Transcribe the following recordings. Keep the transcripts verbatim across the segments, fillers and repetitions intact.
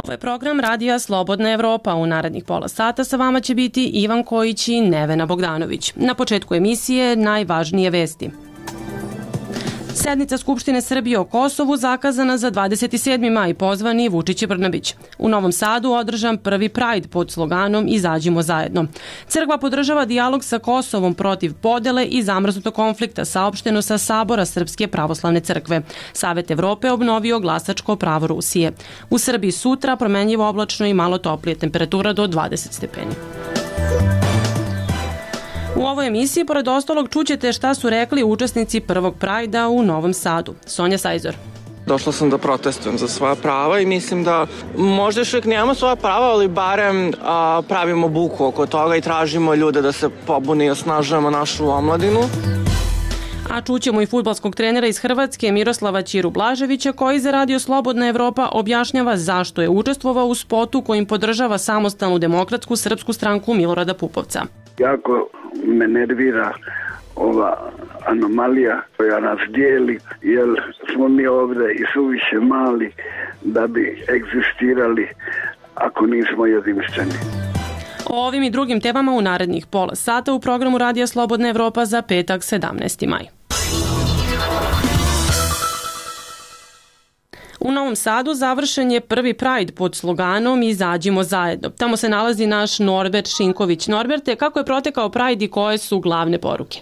Ovo je program Radija Slobodna Evropa. U narednih pola sata sa vama će biti Ivan Kojić i Nevena Bogdanović. Na početku emisije najvažnije vesti. Sednica Skupštine Srbije o Kosovu zakazana za dvadeset sedmi maj, pozvani Vučić i Brnabić. U Novom Sadu održan prvi Pride pod sloganom Izađimo zajedno. Crkva podržava dijalog sa Kosovom protiv podele i zamrznutog konflikta, saopšteno sa Sabora Srpske pravoslavne crkve. Savet Evrope obnovio glasačko pravo Rusije. U Srbiji sutra promenljivo oblačno i malo toplije, temperatura do dvadeset stepeni. U ovoj emisiji, pored ostalog, čućete šta su rekli učesnici prvog Prajda u Novom Sadu. Sonja Sajzor. Došla sam da protestujem za svoja prava i mislim da možda još uvijek nemamo svoja prava, ali barem a, pravimo buku oko toga i tražimo ljude da se pobune i osnažujemo našu omladinu. A čućemo i fudbalskog trenera iz Hrvatske Miroslava Ćiru Blaževića, koji za Radio Slobodna Evropa objašnjava zašto je učestvovao u spotu kojim podržava samostalnu demokratsku srpsku stranku Milorada Pupovca. Jako me nervira ova anomalija koja nas dijeli, jer smo mi ovdje i suviše mali da bi egzistirali ako nismo jedinstveni. O ovim i drugim temama u narednih pola sata u programu Radija Slobodna Evropa za petak sedamnaesti maj. U Novom Sadu završen je prvi Pride pod sloganom Izađimo zajedno. Tamo se nalazi naš Norbert Šinković. Norberte, kako je protekao Pride i koje su glavne poruke?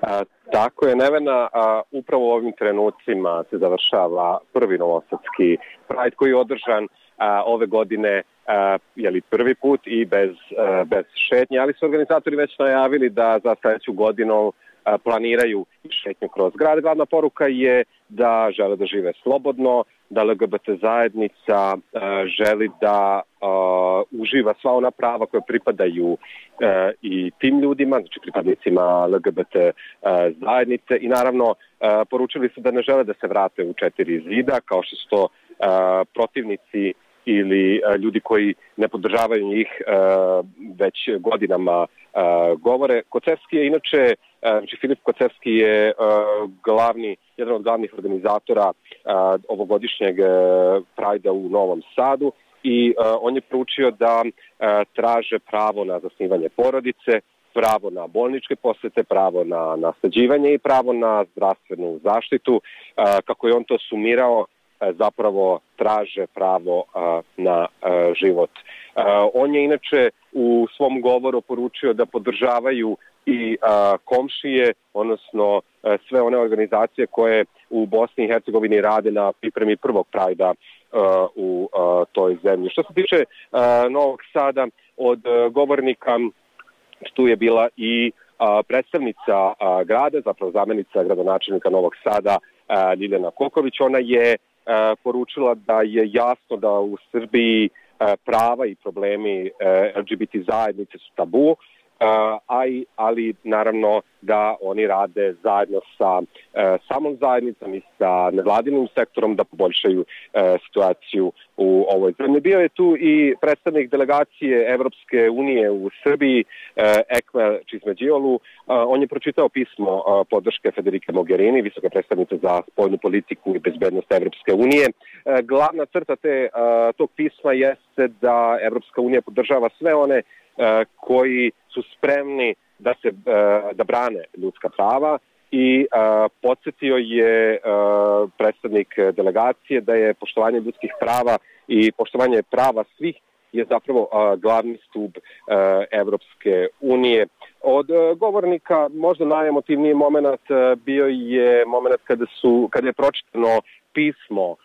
A, tako je, Nevena, a, upravo u ovim trenucima se završava prvi novosadski Pride koji je održan a, ove godine a, jeli, prvi put i bez, a, bez šetnje, ali su organizatori već najavili da za sledeću godinu a, planiraju šetnju kroz grad. Glavna poruka je da žele da žive slobodno, da L G B T zajednica uh, želi da uh, uživa sva ona prava koje pripadaju uh, i tim ljudima, znači pripadnicima L G B T uh, zajednice i naravno uh, poručili su da ne žele da se vrate u četiri zida kao što su to uh, protivnici ili uh, ljudi koji ne podržavaju njih uh, već godinama uh, govore. Kocevski je inače, uh, znači Filip Kocevski je uh, glavni, jedan od glavnih organizatora uh, ovogodišnjeg uh, Prajda u Novom Sadu i uh, on je proučio da uh, traže pravo na zasnivanje porodice, pravo na bolničke posete, pravo na nasleđivanje i pravo na zdravstvenu zaštitu. Uh, kako je on to sumirao, zapravo traže pravo a, na a, život. A, on je inače u svom govoru poručio da podržavaju i a, komšije, odnosno a, sve one organizacije koje u Bosni i Hercegovini rade na pripremi prvog Prajda a, u a, toj zemlji. Što se tiče a, Novog Sada, od a, govornika tu je bila i a, predstavnica a, grada, zapravo zamjenica gradonačelnika Novog Sada, a, Ljiljana Koković. Ona je poručila da je jasno da u Srbiji prava i problemi L G B T zajednice su tabu, ali naravno da oni rade zajedno sa samom zajednicom i sa nevladinim sektorom da poboljšaju situaciju u ovoj zemlji. Bio je tu i predstavnik delegacije Evropske unije u Srbiji, Ekmel Čizmeđiolu. On je pročitao pismo podrške Federike Mogherini, visoke predstavnice za spoljnu politiku i bezbednost Evropske unije. Glavna crta te, tog pisma jeste da Evropska unija podržava sve one koji su spremni da se da brane ljudska prava i uh, podsjetio je uh, predstavnik delegacije da je poštovanje ljudskih prava i poštovanje prava svih je zapravo uh, glavni stub uh, Evropske unije. Od uh, govornika možda najemotivniji moment uh, bio je moment kada su kada je pročitano pismo uh,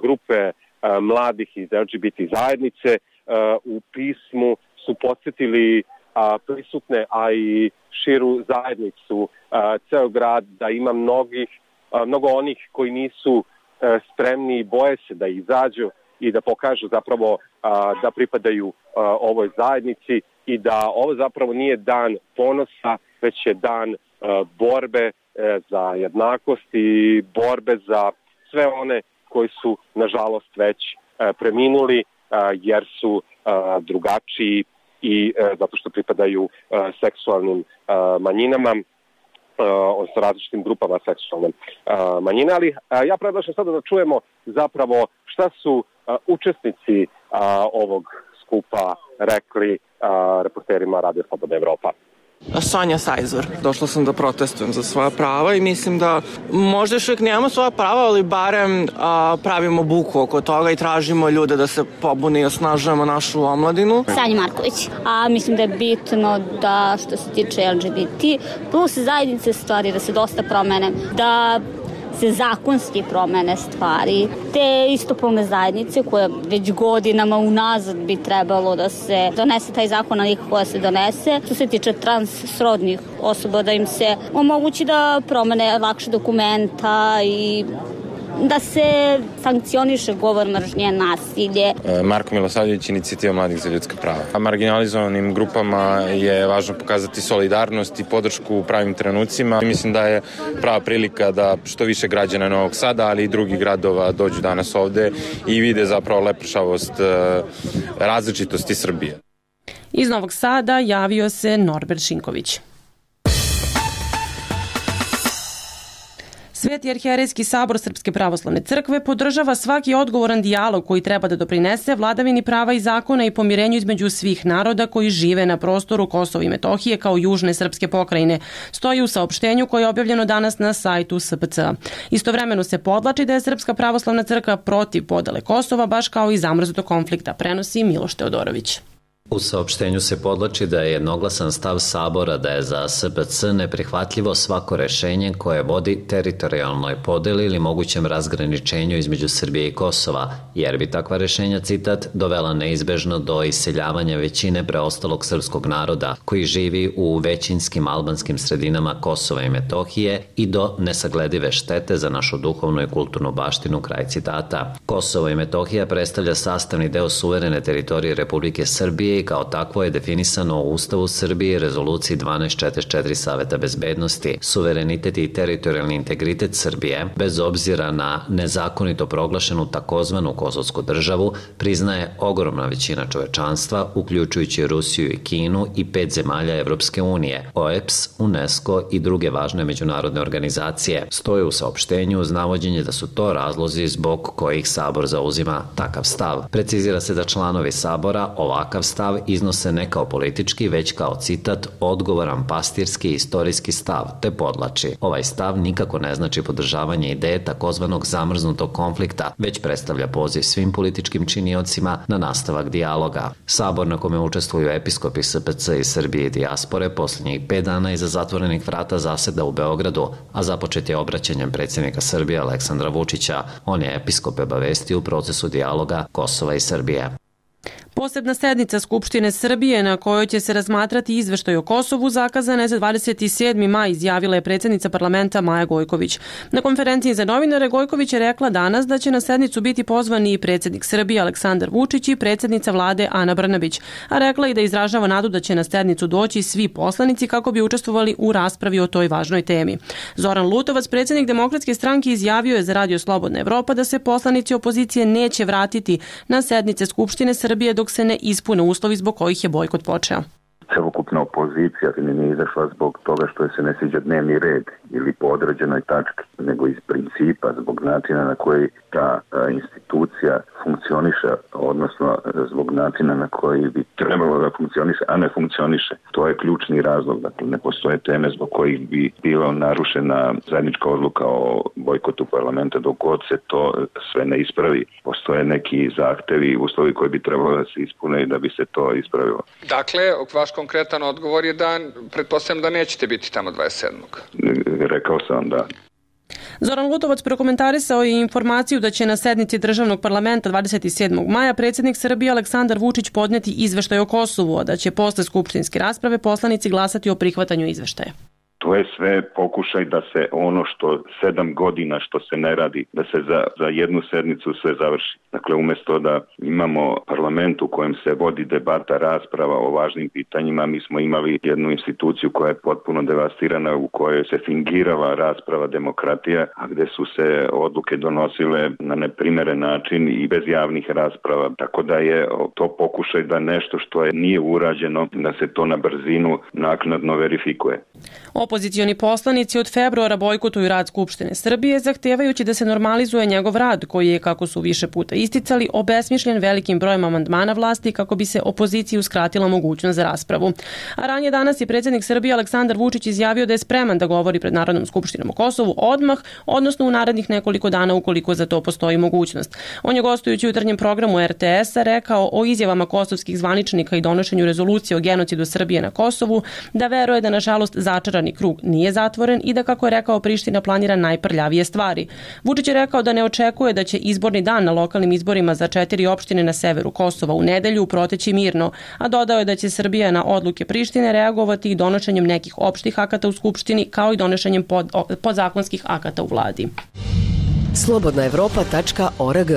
grupe uh, mladih iz L G B T zajednice. Uh, u pismu su podsjetili a, prisutne, a i širu zajednicu, a, ceo grad, da ima mnogih, a, mnogo onih koji nisu a, spremni i boje se da izađu i da pokažu zapravo a, da pripadaju a, ovoj zajednici i da ovo zapravo nije dan ponosa, već je dan a, borbe a, za jednakost i borbe za sve one koji su nažalost već a, preminuli a, jer su a, drugačiji i e, zato što pripadaju e, seksualnim e, manjinama, e, odnosno različitim grupama seksualne e, manjine. Ali e, ja predlažem sada da čujemo zapravo šta su e, učesnici ovog skupa rekli reporterima Radio Slobodna Evropa. Sonja Sajzor. Došla sam da protestujem za svoja prava i mislim da možda još uvijek nemamo svoja prava, ali barem a, pravimo buku oko toga i tražimo ljude da se pobune i osnažujemo našu omladinu. Sanja Marković. A mislim da je bitno da što se tiče L G B T plus zajednice stvari da se dosta promene, da se zakonski promene stvari, te istopolne zajednice koje već godinama unazad bi trebalo da se donese taj zakon, ali nikako da se donese. Što se tiče transsrodnih osoba, da im se omogući da promene lakše dokumenta i da se sankcioniše govor mržnje, nasilje. Marko Milosavljević, Inicijativa mladih za ljudska prava. A marginalizovanim grupama je važno pokazati solidarnost i podršku u pravim trenucima. Mislim da je prava prilika da što više građana Novog Sada, ali i drugih gradova dođu danas ovde i vide zapravo lepršavost različitosti Srbije. Iz Novog Sada javio se Norbert Šinković. Sveti arhijerejski sabor Srpske pravoslavne crkve podržava svaki odgovoran dijalog koji treba da doprinese vladavini prava i zakona i pomirenju između svih naroda koji žive na prostoru Kosova i Metohije kao južne srpske pokrajine, stoji u saopštenju koje je objavljeno danas na sajtu S P C A. Istovremeno se podlači da je Srpska pravoslavna crkva protiv podele Kosova, baš kao i zamrznutog konflikta, prenosi Miloš Teodorović. U saopštenju se podlači da je jednoglasan stav Sabora da je za S P C neprihvatljivo svako rešenje koje vodi teritorijalnoj podeli ili mogućem razgraničenju između Srbije i Kosova, jer bi takva rešenja, citat, dovela neizbežno do iseljavanja većine preostalog srpskog naroda koji živi u većinskim albanskim sredinama Kosova i Metohije i do nesagledive štete za našu duhovnu i kulturnu baštinu, kraj citata. Kosovo i Metohija predstavlja sastavni deo suverene teritorije Republike Srbije i kao takvo je definisano u Ustavu Srbije i Rezoluciji dvanaest četrdeset četiri Saveta bezbednosti. Suverenitet i teritorijalni integritet Srbije, bez obzira na nezakonito proglašenu takozvanu kosovsku državu, priznaje ogromna većina čovečanstva, uključujući Rusiju i Kinu i pet zemalja Evropske unije, O E P S, UNESCO i druge važne međunarodne organizacije. Stoje u saopštenju uz navođenje da su to razlozi zbog kojih Sabor zauzima takav stav. Precizira se da članovi Sabora ovakav stav iznose ne kao politički, već kao, citat, odgovoran pastirski i istorijski stav, te podlači. Ovaj stav nikako ne znači podržavanje ideje takozvanog zamrznutog konflikta, već predstavlja poziv svim političkim činiocima na nastavak dijaloga. Sabor na kome učestvuju episkopi S P C iz Srbije i dijaspore posljednjih pet dana iza zatvorenih vrata zaseda u Beogradu, a započet je obraćanjem predsjednika Srbije Aleksandra Vučića. On je episkope obavestio u procesu dijaloga Kosova i Srbije. Posebna sednica Skupštine Srbije na kojoj će se razmatrati izveštaj o Kosovu zakazana je za dvadeset sedmi maj, izjavila je predsjednica parlamenta Maja Gojković. Na konferenciji za novinare Gojković je rekla danas da će na sednicu biti pozvani i predsjednik Srbije Aleksandar Vučić i predsjednica vlade Ana Brnabić, a rekla i da izražava nadu da će na sednicu doći svi poslanici kako bi učestvovali u raspravi o toj važnoj temi. Zoran Lutovac, predsjednik Demokratske stranke, izjavio je za Radio Slobodna Evropa da se poslanici opozicije neće vratiti na sednice Skupštine Srbije dok se ne ispune uslovi zbog kojih je bojkot počeo. Celokupna opozicija nije izašla zbog toga što se ne sviđa dnevni red ili po određenoj tački, nego iz principa, zbog načina na koji ta institucija funkcioniše, odnosno zbog načina na koji bi trebalo da funkcioniše, a ne funkcioniše. To je ključni razlog. Dakle, ne postoje teme zbog kojih bi bila narušena zajednička odluka o bojkotu parlamenta dok god se to sve ne ispravi. Postoje neki zahtevi, uslovi koji bi trebalo da se ispune i da bi se to ispravilo. Dakle, vaš konkretan odgovor je da, pretpostavljam da nećete biti tamo dvadeset sedmog Rekao sam da. Zoran Lutovac prokomentarisao je informaciju da će na sednici državnog parlamenta dvadeset sedmog maja predsjednik Srbije Aleksandar Vučić podneti izveštaj o Kosovu, a da će posle skupštinske rasprave poslanici glasati o prihvatanju izveštaja. To je sve pokušaj da se ono što sedam godina što se ne radi, da se za, za jednu sednicu sve završi. Dakle, umjesto da imamo parlament u kojem se vodi debata, rasprava o važnim pitanjima, mi smo imali jednu instituciju koja je potpuno devastirana, u kojoj se fingirala rasprava demokratija, a gde su se odluke donosile na neprimeren način i bez javnih rasprava. Tako da je to pokušaj da nešto što je nije urađeno, da se to na brzinu naknadno verifikuje. Opozicioni poslanici od februara bojkotuju rad Skupštine Srbije, zahtevajući da se normalizuje njegov rad, koji je, kako su više puta isticali, obesmišljen velikim brojem amandmana vlasti kako bi se opoziciji uskratila mogućnost za raspravu. A ranije danas je predsjednik Srbije Aleksandar Vučić izjavio da je spreman da govori pred Narodnom skupštinom o Kosovu odmah, odnosno u narednih nekoliko dana ukoliko za to postoji mogućnost. On je gostujući u jutarnjem programu er te es-a rekao o izjavama kosovskih zvaničnika i donošenju rezolucije o genocidu Srbije na Kosovu, da veruje da nažalost začarani krug nije zatvoren i da, kako je rekao, Priština planira najprljavije stvari. Vučić je rekao da ne očekuje da će izborni dan na lokalnim izborima za četiri opštine na severu Kosova u nedelju proteći mirno, a dodao je da će Srbija na odluke Prištine reagovati i donošenjem nekih opštih akata u Skupštini, kao i donošenjem pod, podzakonskih akata u vladi. slobodna evropa tačka org.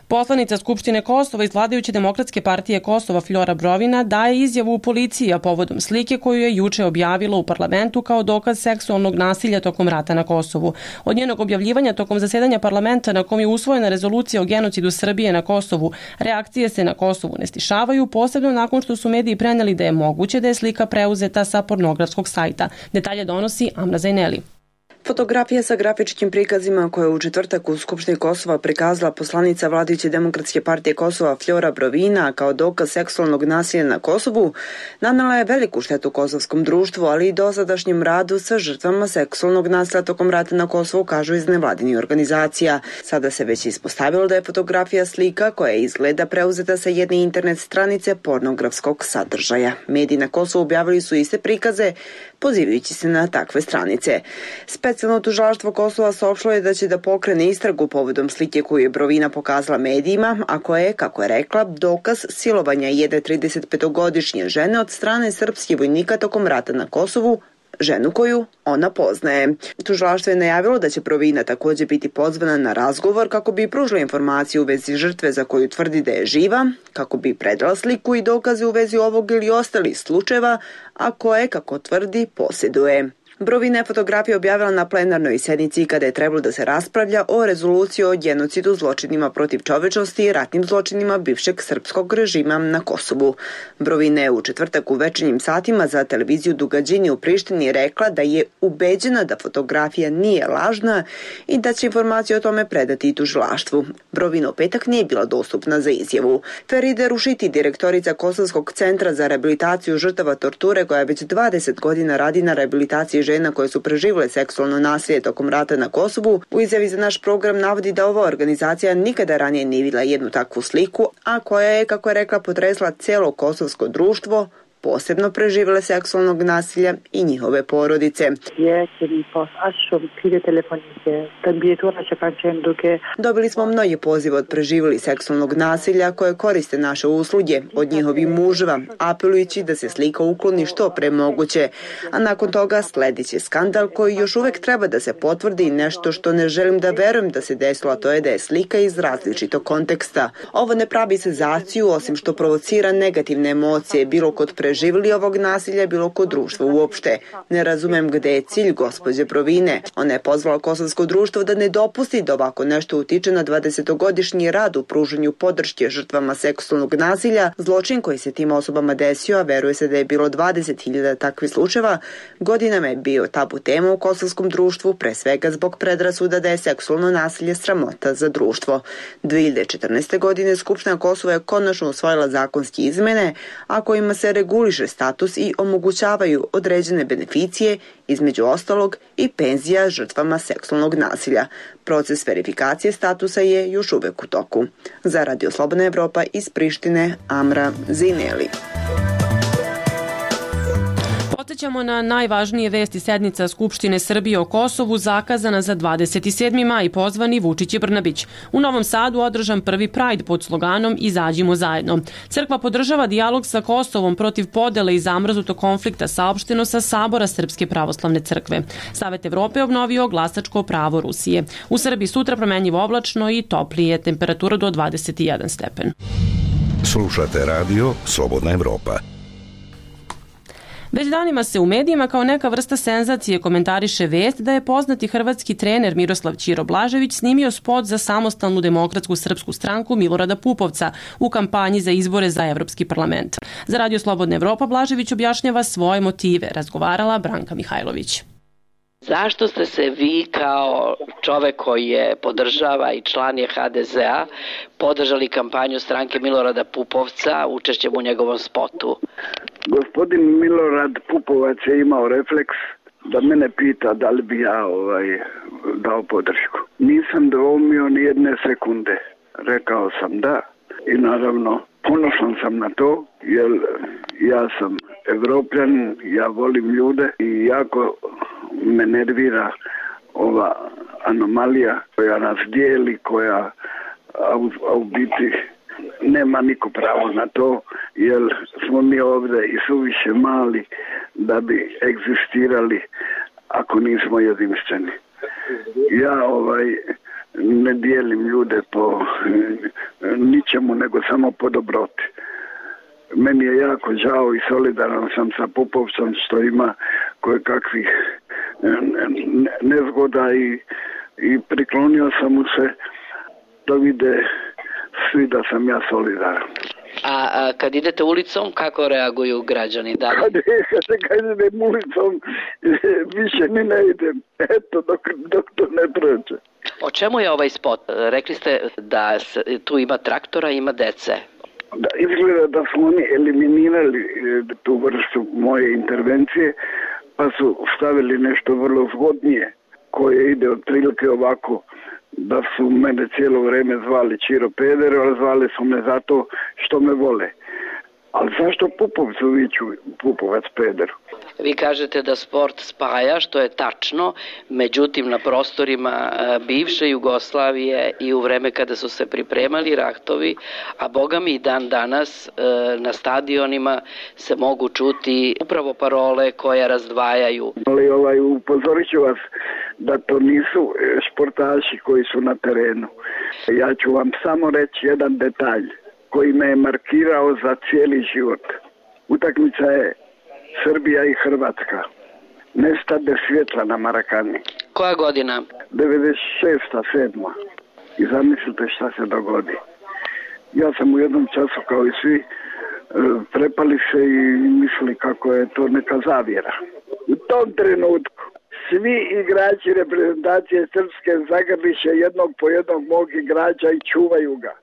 Poslanica Skupštine Kosova iz vladajuće Demokratske partije Kosova Flora Brovina daje izjavu u policiji, a povodom slike koju je juče objavila u parlamentu kao dokaz seksualnog nasilja tokom rata na Kosovu. Od njenog objavljivanja tokom zasedanja parlamenta na kom je usvojena rezolucija o genocidu Srbije na Kosovu, reakcije se na Kosovu ne stišavaju, posebno nakon što su mediji preneli da je moguće da je slika preuzeta sa pornografskog sajta. Detalje donosi Amra Zajneli. Fotografija sa grafičkim prikazima koje je u četvrtak u Skupštini Kosova prikazala poslanica vladajuće Demokratske partije Kosova Flora Brovina kao dokaz seksualnog nasilja na Kosovu nanela je veliku štetu kosovskom društvu, ali i dosadašnjem radu sa žrtvama seksualnog nasilja tokom rata na Kosovu, kažu iz nevladinih organizacija. Sada se već ispostavilo da je fotografija slika koja izgleda preuzeta sa jedne internet stranice pornografskog sadržaja. Mediji na Kosovu objavili su iste prikaze, pozivajući se na takve stranice. Specijalno tužilaštvo Kosova saopštilo je da će da pokrene istragu povodom slike koju je Brovina pokazala medijima, a koja je, kako je rekla, dokaz silovanja jedne tridesetpetogodišnje žene od strane srpskih vojnika tokom rata na Kosovu, ženu koju ona poznaje. Tužilaštvo je najavilo da će Brovina također biti pozvana na razgovor kako bi pružila informaciju u vezi žrtve za koju tvrdi da je živa, kako bi predala sliku i dokaze u vezi ovog ili ostalih slučajeva, a koje, kako tvrdi, posjeduje. Brovina je fotografiju objavila na plenarnoj sednici kada je trebalo da se raspravlja o rezoluciji o genocidu, zločinima protiv čovečnosti i ratnim zločinima bivšeg srpskog režima na Kosovu. Brovina je u četvrtak u večernjim satima za televiziju Dugađini u Prištini rekla da je ubeđena da fotografija nije lažna i da će informaciju o tome predati i tužilaštvu. Brovina u petak nije bila dostupna za izjavu. Feride Rušiti, direktorica Kosovskog centra za rehabilitaciju žrtava torture, koja već dvadeset godina radi na rehabilitaciji žena koje su preživjele seksualno nasilje tokom rata na Kosovu, u izjavi za naš program navodi da ova organizacija nikada ranije nije vidjela jednu takvu sliku, a koja je, kako je rekla, potresla cijelo kosovsko društvo, posebno preživjele seksualnog nasilja i njihove porodice. Dobili smo mnogi pozive od preživjeli seksualnog nasilja koje koriste naše usluge od njihovih muževa, apelujući da se slika ukloni što pre moguće. A nakon toga sledit će skandal koji još uvijek treba da se potvrdi i nešto što ne želim da verujem da se desilo, a to je da je slika iz različitog konteksta. Ovo ne pravi senzaciju, osim što provocira negativne emocije, bilo kod preživjeli preživjeli ovog nasilja, bilo kod društva uopšte. Ne razumem gde je cilj gospođe Brovine. Ona je pozvala kosovsko društvo da ne dopusti da ovako nešto utiče na dvadesetogodišnji rad u pružanju podrške žrtvama seksualnog nasilja. Zločin koji se tim osobama desio, a veruje se da je bilo dvadeset hiljada takvih slučajeva, godinama je bio tabu tema u kosovskom društvu, pre svega zbog predrasuda da je seksualno nasilje sramota za društvo. dve hiljade četrnaeste. godine Skupština Kosova je konačno usvojila zakonske izmene, a kojima se reguliše status i omogućavaju određene beneficije, između ostalog i penzija žrtvama seksualnog nasilja. Proces verifikacije statusa je još uvek u toku. Za Radio Slobodna Evropa iz Prištine, Amra Zajneli. Podsećamo na najvažnije vesti. Sednica Skupštine Srbije o Kosovu zakazana za dvadeset sedmi maj, pozvani Vučić i Brnabić. U Novom Sadu održan prvi Pride pod sloganom Izađimo zajedno. Crkva podržava dijalog sa Kosovom protiv podele i zamrznutog konflikta, saopšteno sa Sabora Srpske pravoslavne crkve. Savet Evrope obnovio glasačko pravo Rusije. U Srbiji sutra promenljivo oblačno i toplije, temperatura do dvadeset jedan stepen. Slušate radio Slobodna Evropa. Već danima se u medijima kao neka vrsta senzacije komentariše vest da je poznati hrvatski trener Miroslav Ćiro Blažević snimio spot za samostalnu demokratsku srpsku stranku Milorada Pupovca u kampanji za izbore za Evropski parlament. Za Radio Slobodna Evropa Blažević objašnjava svoje motive, razgovarala Branka Mihajlović. Zašto ste se vi kao čovek koji je podržava i član je ha de zea podržali kampanju stranke Milorada Pupovca učešćem u njegovom spotu? Gospodin Milorad Pupovac je imao refleks da mene pita da li bi ja ovaj, dao podršku. Nisam dvoumio ni jedne sekunde. Rekao sam da i naravno ponosan sam na to jer ja sam Evropljan, ja volim ljude i jako me nervira ova anomalija koja nas dijeli, koja a u, a u biti nema niko pravo na to, jer smo mi ovdje i suviše mali da bi egzistirali ako nismo jedinstveni. Ja ovaj ne dijelim ljude po ničemu nego samo po dobroti. Meni je jako žao i solidaran sam sa Pupovcem što ima koje kakvih nezgoda i, i priklonio sam mu se da vide svi da sam ja solidaran. A, a kad idete ulicom, kako reaguju građani? Da li... Kad, kad, kad idem ulicom, više ni ne idem. Eto, dok, dok to ne prođe. O čemu je ovaj spot? Rekli ste da tu ima traktora, ima dece. Da, izgleda da su oni eliminirali tu vrstu moje intervencije, pa su stavili nešto vrlo zgodnije, koje ide otprilike ovako, da su mene cijelo vrijeme zvali Ćiro Peder, ali zvali su me zato što me vole. Ali zašto Pupovcu viću Pupovac Pederu? Vi kažete da sport spaja, što je tačno, međutim na prostorima bivše Jugoslavije i u vreme kada su se pripremali ratovi, a boga mi i dan danas na stadionima se mogu čuti upravo parole koje razdvajaju. Ali ovaj, upozorit ću vas da to nisu športaši koji su na terenu. Ja ću vam samo reći jedan detalj koji me je markirao za cijeli život. Utakmica je Srbija i Hrvatska. Nestade svjetla na Marakani. Koja godina? devedeset šesta sedma I zamislite šta se dogodi. Ja sam u jednom času kao i svi prepali se i mislili kako je to neka zavjera. U tom trenutku svi igrači reprezentacije Srpske zagrliše jednog po jednog mog igrača i čuvaju ga.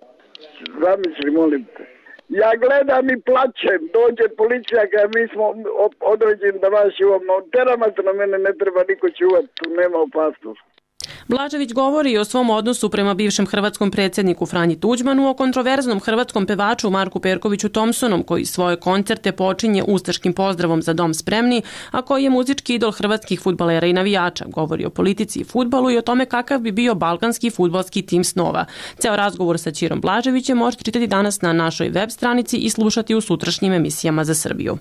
Zamisli, molim te. Ja gledam i plačem, dođe policija kada mi smo određeni da vas čuvamo. Terama se na mene ne treba niko čuvati, tu nema opasnosti. Blažević govori i o svom odnosu prema bivšem hrvatskom predsjedniku Franji Tuđmanu, o kontroverznom hrvatskom pevaču Marku Perkoviću Thompsonom, koji svoje koncerte počinje ustaškim pozdravom Za dom spremni, a koji je muzički idol hrvatskih fudbalera i navijača. Govori o politici i fudbalu i o tome kakav bi bio balkanski fudbalski tim snova. Ceo razgovor sa Ćirom Blaževićem možete čitati danas na našoj web stranici i slušati u sutrašnjim emisijama za Srbiju.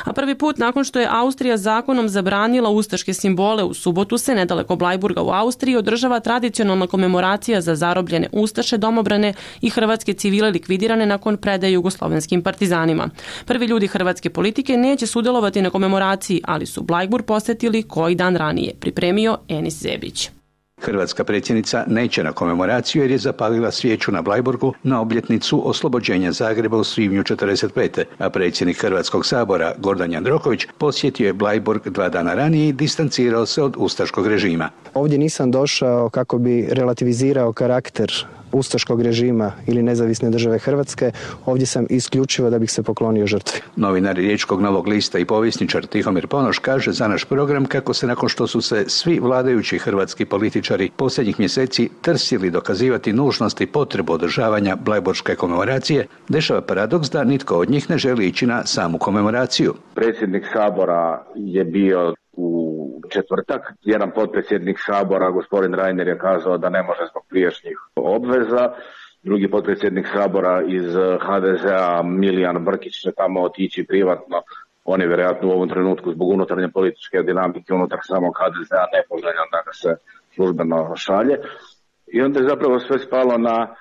A prvi put nakon što je Austrija zakonom zabranila ustaške simbole, u subotu se nedaleko Blajburga u Austriji održava tradicionalna komemoracija za zarobljene ustaše, domobrane i hrvatske civile likvidirane nakon predaje jugoslovenskim partizanima. Prvi ljudi hrvatske politike neće sudjelovati na komemoraciji, ali su Blajburg posetili koji dan ranije, pripremio Enis Zebić. Hrvatska predsjednica neće na komemoraciju jer je zapalila svijeću na Blajburgu na obljetnicu oslobođenja Zagreba u svibnju četrdeset pete. a predsjednik Hrvatskog sabora Gordan Jandroković posjetio je Blajburg dva dana ranije i distancirao se od ustaškog režima. Ovdje nisam došao kako bi relativizirao karakter ustaškog režima ili nezavisne države Hrvatske, ovdje sam isključivo da bih se poklonio žrtvi. Novinar Riječkog Novog lista i povjesničar Tihomir Ponoš kaže za naš program kako se nakon što su se svi vladajući hrvatski političari posljednjih mjeseci trsili dokazivati nužnost i potrebu održavanja blajburške komemoracije, dešava paradoks da nitko od njih ne želi ići na samu komemoraciju. Predsjednik Sabora je bio u četvrtak. Jedan potpredsjednik Sabora, gospodin Reiner, je kazao da ne može zbog prijašnjih obveza. Drugi potpredsjednik Sabora iz ha de zea, Milijan Brkić, će tamo otići privatno. On je vjerojatno u ovom trenutku zbog unutarnje političke dinamike unutar samog ha de zea nepoželjan da ga se službeno šalje. I onda je zapravo sve spalo na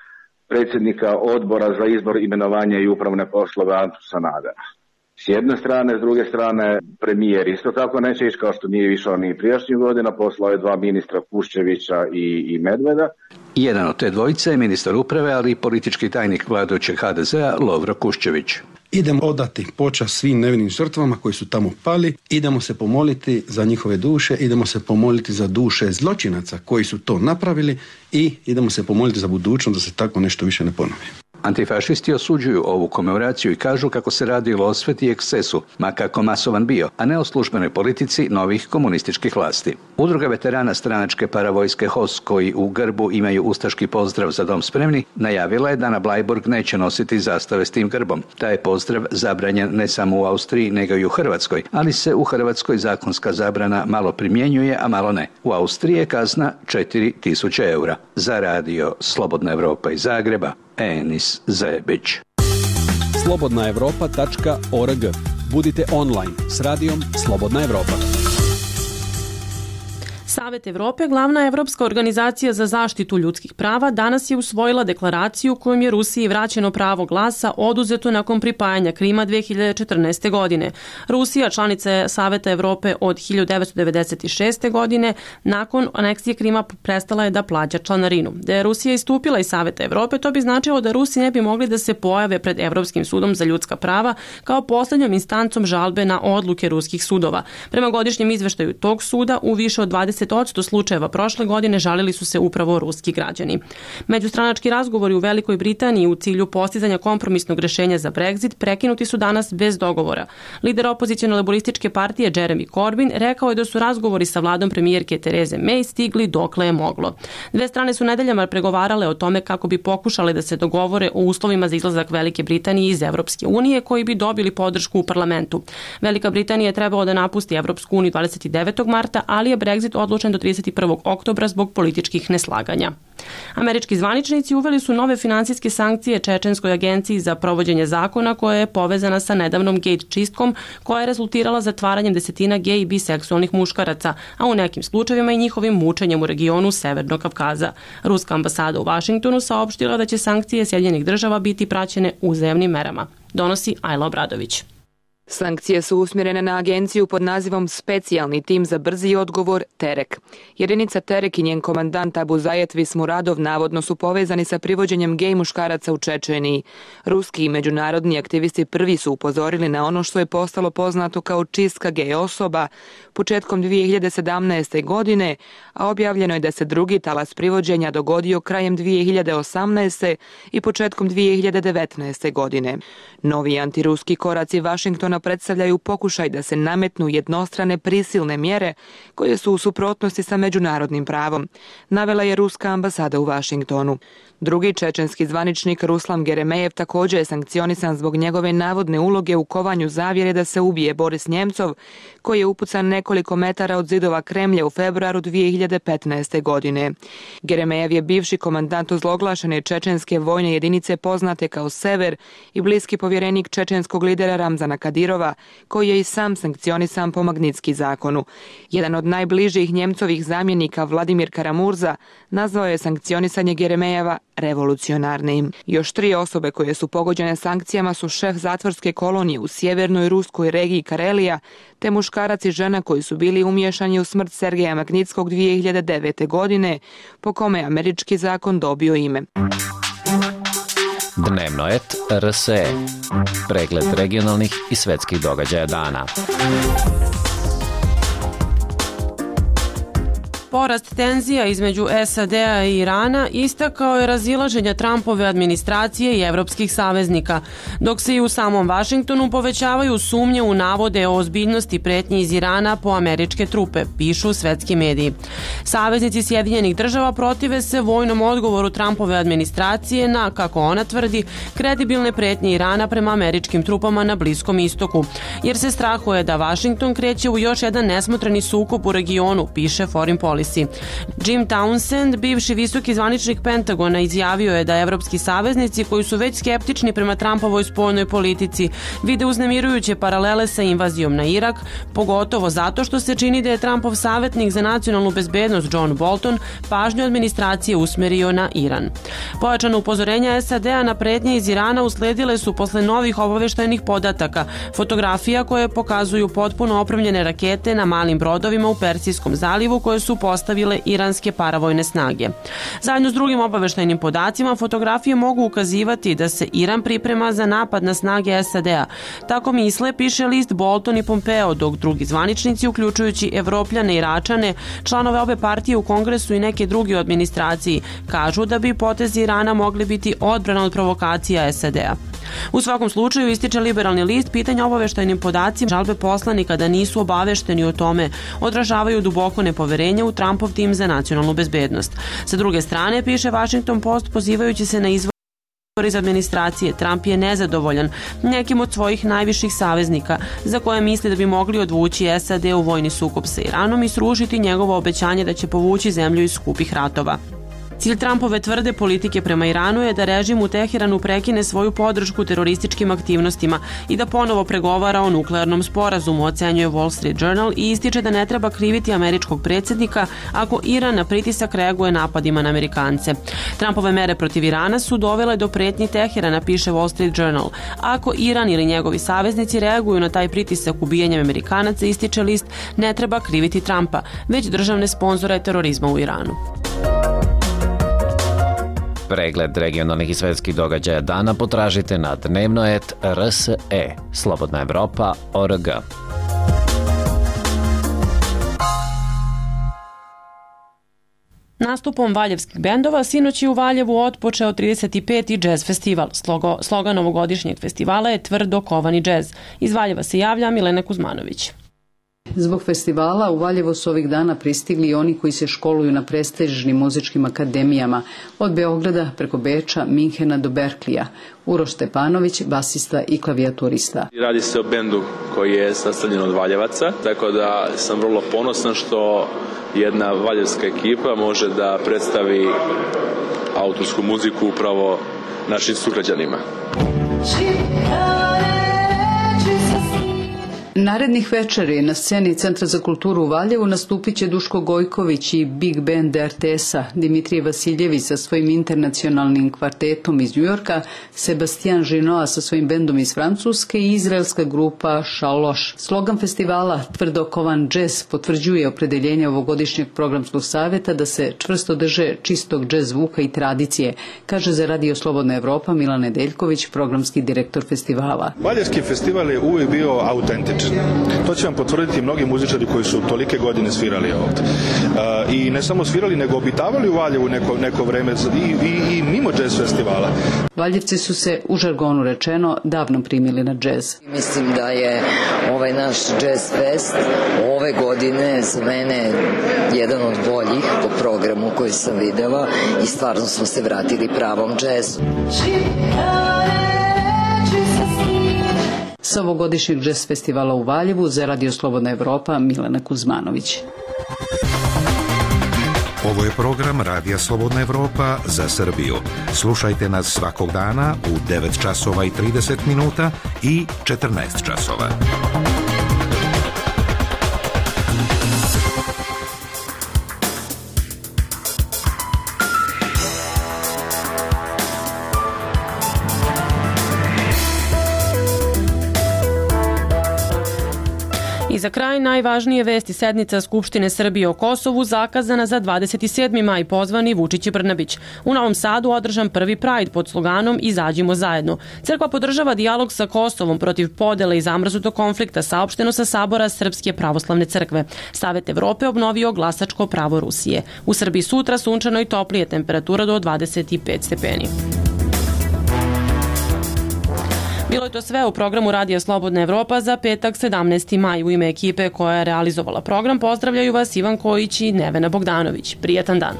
predsjednika odbora za izbor, imenovanje i upravne poslove Antu Sanadera. s jedne strane, s druge strane premijer isto tako neće ići kao što nije išao ni prijašnjih godina, poslao je dva ministra Kuščevića i, i Medveda. Jedan od te dvojice je ministar uprave, ali i politički tajnik vladajućeg ha de zea Lovro Kuščević. Idemo odati počast svim nevinim žrtvama koji su tamo pali, idemo se pomoliti za njihove duše, idemo se pomoliti za duše zločinaca koji su to napravili i idemo se pomoliti za budućnost da se tako nešto više ne ponovi. Antifašisti osuđuju ovu komemoraciju i kažu kako se radilo o osveti i ekscesu, ma kako masovan bio, a ne o službenoj politici novih komunističkih vlasti. Udruga veterana stranačke paravojske H O S, koji u grbu imaju ustaški pozdrav za dom spremni, najavila je da na Blajburg neće nositi zastave s tim grbom. Taj je pozdrav zabranjen ne samo u Austriji, nego i u Hrvatskoj, ali se u Hrvatskoj zakonska zabrana malo primjenjuje, a malo ne. U Austriji je kazna četiri tisuće eura. Za radio Slobodna Evropa iz Zagreba, Enis Zebić. slobodna evropa tačka org. Budite online s radijom Slobodna Evropa. Savet Evrope, glavna evropska organizacija za zaštitu ljudskih prava, danas je usvojila deklaraciju kojom je Rusiji vraćeno pravo glasa oduzeto nakon pripajanja Krima dve hiljade četrnaeste. godine. Rusija, članica je Saveta Evrope od hiljadu devetsto devedeset šeste. godine, nakon aneksije Krima prestala je da plaća članarinu. Da je Rusija istupila iz Saveta Evrope, to bi značilo da Rusi ne bi mogli da se pojave pred Evropskim sudom za ljudska prava kao poslednjom instancom žalbe na odluke ruskih sudova. Prema godišnjem izveštaju tog suda, u više od dvadeset odsto slučajeva prošle godine žalili su se upravo ruski građani. Međustranački razgovori u Velikoj Britaniji u cilju postizanja kompromisnog rešenja za Brexit prekinuti su danas bez dogovora. Lider opozicijone laborističke partije Jeremy Corbyn rekao je da su razgovori sa vladom premijerke Tereze May stigli dokle je moglo. Dve strane su nedeljama pregovarale o tome kako bi pokušale da se dogovore o uslovima za izlazak Velike Britanije iz Evropske unije koji bi dobili podršku u parlamentu. Velika Britanija je trebalo da napusti Evropsku uniju dvadeset devetog marta, ali je Brexit odlučen do trideset prvog oktobra zbog političkih neslaganja. Američki zvaničnici uveli su nove finansijske sankcije Čečenskoj agenciji za provođenje zakona koja je povezana sa nedavnom gej čistkom koja je rezultirala zatvaranjem desetina gej i biseksualnih muškaraca, a u nekim slučajevima i njihovim mučenjem u regionu Severnog Kavkaza. Ruska ambasada u Vašingtonu saopštila da će sankcije Sjedinjenih država biti praćene uzajamnim merama. Donosi Ajla Obradović. Sankcije su usmjerene na agenciju pod nazivom Specijalni tim za brzi odgovor Terek. Jedinica Terek i njen komandant Abu Zajet Vismuradov navodno su povezani sa privođenjem gej muškaraca u Čečeniji. Ruski i međunarodni aktivisti prvi su upozorili na ono što je postalo poznato kao čistka gej osoba početkom dvije hiljade sedamnaeste. godine, a objavljeno je da se drugi talas privođenja dogodio krajem dvije hiljade osamnaeste. i početkom dvije hiljade devetnaeste. godine. Novi antiruski koraci Vašingtona predstavljaju pokušaj da se nametnu jednostrane prisilne mjere koje su u suprotnosti sa međunarodnim pravom, navela je ruska ambasada u Vašingtonu. Drugi čečenski zvaničnik Ruslan Geremejev također je sankcionisan zbog njegove navodne uloge u kovanju zavjere da se ubije Boris Njemcov, koji je upucan nekoliko metara od zidova Kremlja u februaru dvije hiljade petnaeste. godine. Geremejev je bivši komandant ozloglašene čečenske vojne jedinice poznate kao Sever i bliski povjerenik čečenskog lidera Ramzana Kadirova, koji je i sam sankcionisan po Magnitski zakonu. Jedan od najbližih Njemcovih zamjenika Vladimir Karamurza nazvao je sankcionisanje Geremejeva revolucionarnim. Još tri osobe koje su pogođene sankcijama su šef zatvorske kolonije u sjevernoj ruskoj regiji Karelija, te muškarac i žena koji su bili umiješani u smrt Sergeja Magnitskog dvije hiljade devete. godine, po kome je američki zakon dobio ime. Dnevno et R S E. Pregled regionalnih i svetskih događaja dana. Porast tenzija između S A D-a i Irana istakao je razilaženja Trumpove administracije i evropskih saveznika, dok se i u samom Vašingtonu povećavaju sumnje u navode o ozbiljnosti pretnji iz Irana po američke trupe, pišu svetski mediji. Saveznici Sjedinjenih država protive se vojnom odgovoru Trumpove administracije na, kako ona tvrdi, kredibilne pretnje Irana prema američkim trupama na Bliskom istoku, jer se strahuje da Vašington kreće u još jedan nesmotreni sukob u regionu, piše Foreign Policy. zavisi. Jim Townsend, bivši visoki zvaničnik Pentagona, izjavio je da evropski saveznici koji su već skeptični prema Trumpovoj spoljnoj politici vide uznemirujuće paralele sa invazijom na Irak, pogotovo zato što se čini da je Trumpov savjetnik za nacionalnu bezbednost John Bolton pažnju administracije usmerio na Iran. Pojačano upozorenja S A D-a na pretnje iz Irana usledile su posle novih obaveštajnih podataka, fotografija koje pokazuju potpuno opremljene rakete na malim brodovima u Persijskom zalivu koje su postavile iranske paravojne snage. Zajedno s drugim obaveštajnim podacima, fotografije mogu ukazivati da se Iran priprema za napad na snage S A D-a. Tako misle, piše list Bolton i Pompeo, dok drugi zvaničnici, uključujući Evropljane i Iračane, članove obe partije u Kongresu i neke druge u administraciji, kažu da bi potezi Irana mogli biti odbrana od provokacija S A D-a. U svakom slučaju, ističe liberalni list, pitanja obaveštajnim podacima žalbe poslanika da nisu obavešteni o tome odražavaju duboko nepoverenje u Trumpov tim za nacionalnu bezbednost. Sa druge strane, piše Washington Post, pozivajući se na izvor iz administracije, Trump je nezadovoljan nekim od svojih najviših saveznika za koje misli da bi mogli odvući S A D u vojni sukob sa Iranom i srušiti njegovo obećanje da će povući zemlju iz skupih ratova. Cilj Trumpove tvrde politike prema Iranu je da režim u Teheranu prekine svoju podršku terorističkim aktivnostima i da ponovo pregovara o nuklearnom sporazumu, ocenjuje Wall Street Journal i ističe da ne treba kriviti američkog predsjednika ako Iran na pritisak reaguje napadima na Amerikance. Trumpove mere protiv Irana su dovele do pretnji Teherana, piše Wall Street Journal. Ako Iran ili njegovi saveznici reaguju na taj pritisak ubijanjem Amerikanaca, ističe list, ne treba kriviti Trumpa, već državne sponzore terorizma u Iranu. Pregled regionalnih i svetskih događaja dana potražite na dnevnoet R S E, Slobodna Evropa, O R G. Nastupom valjevskih bendova sinoć je u Valjevu otpočeo trideseti peti džez festival. Slogo, slogan ovogodišnjeg festivala je Tvrdo kovani džez. Iz Valjeva se javlja Milena Kuzmanović. Zbog festivala u Valjevo su ovih dana pristigli i oni koji se školuju na prestižnim muzičkim akademijama, od Beograda preko Beča, Minhena do Berklija. Uroš Stepanović, basista i klavijaturista. Radi se o bendu koji je sastavljen od Valjevaca, tako da sam vrlo ponosan što jedna valjevska ekipa može da predstavi autorsku muziku upravo našim sugrađanima. Narednih večeri na sceni Centra za kulturu u Valjevu nastupit će Duško Gojković i Big Band R T S-a, Dimitrije Vasiljević sa svojim internacionalnim kvartetom iz Njujorka, Sebastian Žinoa sa svojim bendom iz Francuske i izraelska grupa Šaloš. Slogan festivala Tvrdo kovan džez potvrđuje opredeljenje ovogodišnjeg programskog savjeta da se čvrsto drže čistog džez zvuka i tradicije, kaže za Radio Slobodna Evropa Milan Nedeljković, programski direktor festivala. Valjevski festival je uvijek bio autentičan. To će vam potvrditi mnogi muzičari koji su tolike godine svirali ovdje. Uh, I ne samo svirali, nego obitavali u Valjevu neko, neko vreme i, i, i mimo džez festivala. Valjevci su se, u žargonu rečeno, davno primili na džez. Mislim da je ovaj naš džez fest ove godine za mene jedan od boljih po programu koji sam videla i stvarno smo se vratili pravom džezu. Sa ovogodišnjeg džez festivala u Valjevu za Radio Slobodna Evropa Milena Kuzmanović. Ovo je program Radija Slobodna Evropa za Srbiju. Slušajte nas svakog dana u devet časova i trideset minuta i četrnaest časova. I za kraj najvažnije vesti. Sednica Skupštine Srbije o Kosovu zakazana za dvadeset sedmi maj, pozvani Vučić i Brnabić. U Novom Sadu održan prvi Pride pod sloganom Izađimo zajedno. Crkva podržava dijalog sa Kosovom protiv podele i zamrznutog konflikta, saopšteno sa Sabora Srpske pravoslavne crkve. Savet Evrope obnovio glasačko pravo Rusije. U Srbiji sutra sunčano i toplije, temperatura do dvadeset pet stepeni. Bilo je to sve u programu Radija Slobodna Evropa za petak sedamnaesti maj. U ime ekipe koja je realizovala program pozdravljaju vas Ivan Kojić i Nevena Bogdanović. Prijetan dan.